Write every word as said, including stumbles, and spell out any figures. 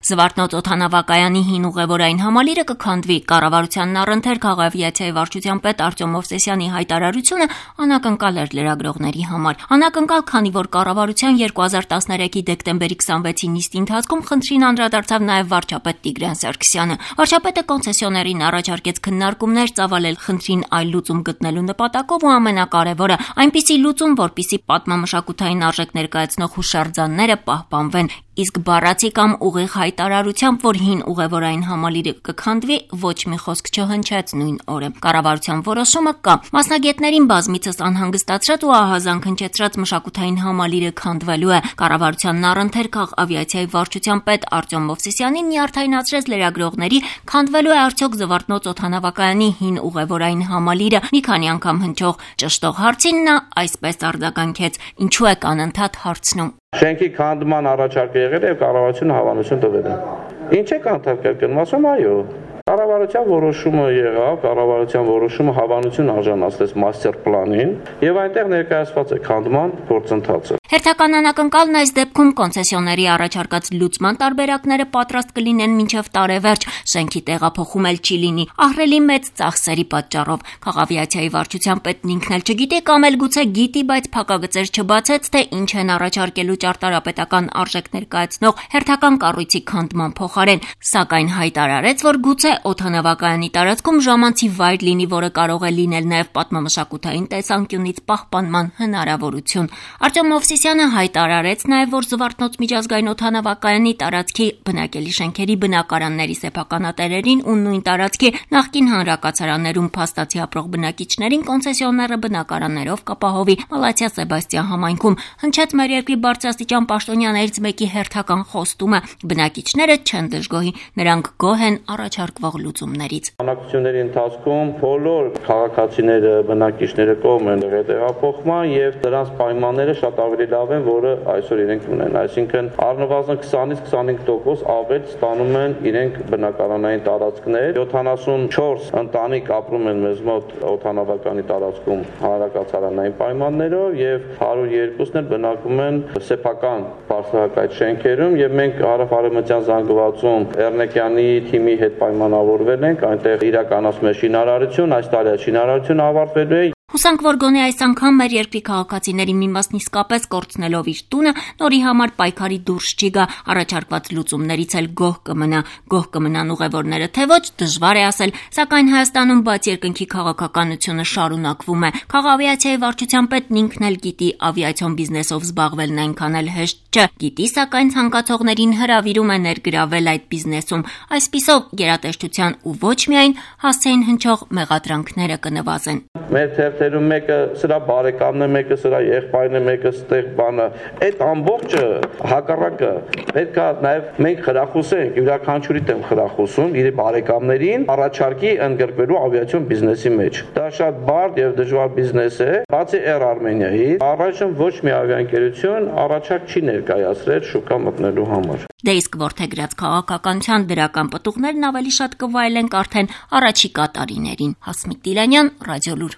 Զվարթնոց օդանավակայանի հին ուղևորային համալիրը կքանդվի։ Կառավարությանն առընթեր քաղաքավիացիայի վարչության պետ Արտյոմ Մովսեսյանի հայտարարությունը անակնկալ էր լրագրողների համար։ Անակնկալ, քանի որ կառավարության երկու հազար տասներեքի դեկտեմբերի քսանվեցի նիստի ընթացքում խնդրին անդրադարձավ նաև վարչապետ Տիգրան Սարգսյանը։ Վարչապետը կոնցեսիոներին առաջարկեց քննարկումներ ծավալել խնդրին այլ լուծում գտնելու նպատակով ու ամենակարևորը այնպիսի լուծում, որպիսի պատմամշակութային արժեք ներկայացնող հուշարձանները պահպանվեն, իսկ բառացի կամ ուղիղ հայտարարությամբ, որ հին ուղևորային համալիրը կքանդվի, ոչ մի խոսք չհնչեց նույն օրը։ Կառավարության որոշումը կա։ Մասնագետներին բազմիցս անհանգստացրած ու ահազանգ հնչեցրած մշակութային համալիրը քանդվելու է։ Կառավարությանն առընթեր քաղաքավիացիայի վարչության պետ Արտյոմ Մովսեսյանին նյարդայնացրեց լրագրողների, քանդվելու է արդյոք Զվարթնոց օդանավակայանի հին ուղևորային համալիրը։ Մի քանի անգամ հնչող ճշտող հարցին նա այսպես արձագանքեց. ինչու եք անընդհատ հարցնում։ Շենքի քանդման առաջարկը եղել է եւ կառավարությունը հավանություն տվել է։ Ինչ եք անդրադառնում, ասում այո։ Կառավարության որոշումը եղավ, կառավարության որոշումը հավանություն արժանացրեց մաստեր պլանին եւ այնտեղ ներկայացված է քանդման գործընթացը։ Հերթական անակնկալն այս դեպքում կոնցեսիոների առաջարկած լուծման տարբերակները պատրաստ կլինեն մինչև տարեվերջ, շենքի տեղափոխում էլ չի լինի, ահռելի մեծ ծախսերի պատճառով։ Քաղաքավիացիայի վարչության պետն ինքն էլ չգիտի կամ էլ գուցե գիտի, բայց փակագծեր չբացեց, թե ինչ են առաջարկելու ճարտարապետական արժեք ներկայացնող հերթական կառույցի քանդման փոխարեն, սակայն հայտարարեց, որ գուցե օդանավակայանի տարածքում ժամանցի վայր լինի, որը կարող է լինել նաև պատմամշակութային տեսանկյունից պահպանման հնարավորություն։ Արտյոմ Մովսեսյանը հայտարարեց նաև, որ Զվարթնոց միջազգային օդանավակայանի տարածքի բնակելի շենքերի բնակարանների սեփականատերերին ու նույն տարածքի նախկին հանրակացարաններում փաստացի ապրող բնակիչներին կոնցեսիոները բնակարաններով կապահովի Մալաթիա Սեբաստիան համայնքում։ Հնչեց մեր երկրի բարձրաստիճան պաշտոնյաներից մեկի հերթական խոստումը. բնակիչները չեն դժգոհի, նրանք գոհ են առաջարկվող լուծումներից։ Բանակցությունների ընթացքում բոլոր քաղաքացիները, բնակիչները կողմ են եղել տեղափոխման եւ դրանց պայմանները շատ ավելի լավ են, որը այսօր իրենք ունեն, այսինքն առնվազն քսանից քսանհինգ տոկոս ավել ստանում են իրենք բնակարանային տարածքներ, յոթանասունչորս ընտանիք ապրում են մեզ մոտ օդանավականի տարածքում հանրակացարանային պայմաններով եւ հարյուր երկուսն էլ բնակվում են սեփական բարձրահասակ շենքերում եւ մենք հարավ-արևմտյան զանգվածում Էռնեկյանի թիմի հետ պայմանավորվել ենք, այնտեղ իրականացում է շինարարություն, այս տարի շինարարությունը ավարտվելու է։ Հուսանք, որ գոնե այս անգամ մեր երկրի քաղաքացիների մի մասն իսկապես կորցնելով իր տունը, նորի համար պայքարի դուրս չի գա, առաջարկված լուծումներից էլ գոհ կմնա։ Գոհ կմնան ուղևորները, թե ոչ, դժվար է ասել, սակայն Հայաստանում բաց երկնքի քաղաքականությունը շարունակվում է։ Քաղաքավիացիայի վարչության պետն ինքն էլ գիտի, ավիացիոն բիզնեսով զբաղվելն այնքան էլ հեշտ չէ։ Գիտի, սակայն ցանկացողներին հրավիրում է ներգրավել այդ բիզնեսում։ Այսպիսով գերատեսչության ու ոչ միայն հասցեին հնչող մեղադրանքները կնվազեն։ Մեր թերթերում մեկը սրա բարեկամն է, մեկը սրա եղբայրն է, մեկը ստեղ բանը։ Այդ ամբողջը հակառակը պետք է նաև մենք խրախուսենք, յուրաքանչյուրի դեմ խրախուսում իր բարեկամներին առաջարկի ընդգրկվելու ավիացիոն բիզնեսի մեջ։ Դա շատ բարդ եւ դժվար բիզնես է, բացի Air Armenia-ից, առայժմ ոչ մի ավիաընկերություն առաջարկ չի ներկայացրել շուկա մտնելու համար։ Դե իսկ որդեգրած քաղաքականության դրական պտուղներն ավելի շատ կվայելենք արդեն առաջիկա տարիներին։ Հասմիկ Տիլանյան, Ռադիոլուր։